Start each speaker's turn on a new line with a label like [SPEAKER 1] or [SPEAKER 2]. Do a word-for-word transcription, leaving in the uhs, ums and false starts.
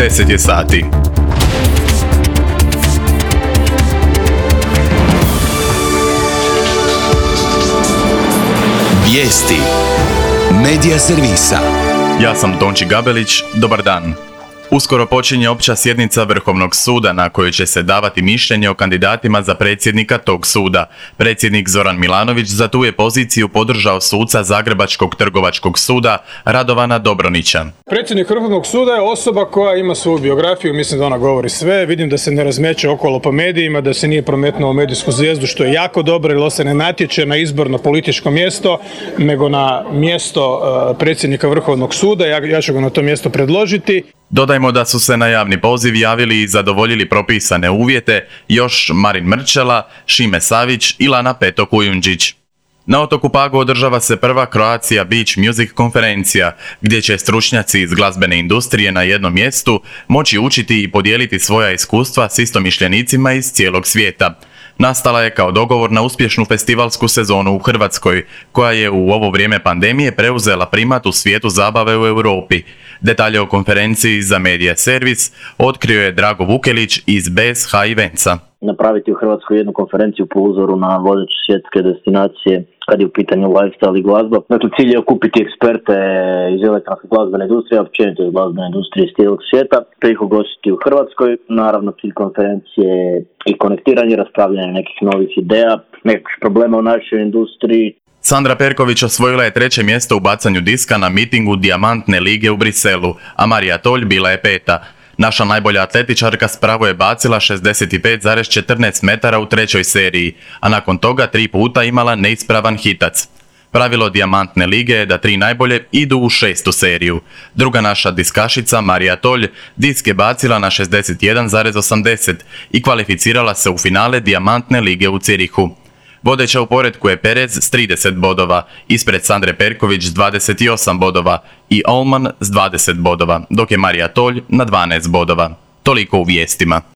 [SPEAKER 1] deset je sati.
[SPEAKER 2] Vijesti Medija servisa.
[SPEAKER 1] Ja sam Tonči Gabelić, dobar dan. Uskoro počinje opća sjednica Vrhovnog suda na kojoj će se davati mišljenje o kandidatima za predsjednika tog suda. Predsjednik Zoran Milanović za tu je poziciju podržao suca Zagrebačkog trgovačkog suda Radovana Dobronića.
[SPEAKER 3] Predsjednik Vrhovnog suda je osoba koja ima svoju biografiju, mislim da ona govori sve, vidim da se ne razmeće okolo po medijima, da se nije prometnuo u medijsku zvijezdu, što je jako dobro, jer se ne natječe na izbor na političko mjesto, nego na mjesto uh, predsjednika Vrhovnog suda. Ja, ja ću ga na to mjesto predložiti.
[SPEAKER 1] Dodajmo da su se na javni poziv javili i zadovoljili propisane uvjete još Marin Mrčela, Šime Savić i Lana Peto Kujundžić. Na otoku Pagu održava se prva Croatia Beach Music konferencija, gdje će stručnjaci iz glazbene industrije na jednom mjestu moći učiti i podijeliti svoja iskustva s istomišljenicima iz cijelog svijeta. Nastala je kao dogovor na uspješnu festivalsku sezonu u Hrvatskoj, koja je u ovo vrijeme pandemije preuzela primat u svijetu zabave u Europi. Detalje o konferenciji za Medija servis otkrio je Drago Vukelić iz B S H Eventsa.
[SPEAKER 4] Napraviti u Hrvatskoj jednu konferenciju po uzoru na vodeće svjetske destinacije kad je u pitanju lifestyle i glazba. Dakle, cilj je okupiti eksperte iz elektronske glazbene industrije, a općenito iz glazbene industrije iz cijelog svijeta, te ih ugostiti u Hrvatskoj. Naravno, cilj konferencije je i konektiranje, raspravljanje nekih novih ideja, nekih problema u našoj industriji.
[SPEAKER 1] Sandra Perković osvojila je treće mjesto u bacanju diska na mitingu Dijamantne lige u Briselu, a Marija Tolj bila je peta. Naša najbolja atletičarka spravo je bacila šezdeset pet zarez četrnaest metara u trećoj seriji, a nakon toga tri puta imala neispravan hitac. Pravilo Dijamantne lige je da tri najbolje idu u šestu seriju. Druga naša diskašica, Marija Tolj, disk je bacila na šezdeset jedan zarez osamdeset i kvalificirala se u finale Dijamantne lige u Cirihu. Vodeća u poretku je Perez s trideset bodova, ispred Sandre Perković s dvadeset osam bodova i Olman s dvadeset bodova, dok je Marija Tolj na dvanaest bodova. Toliko u vijestima.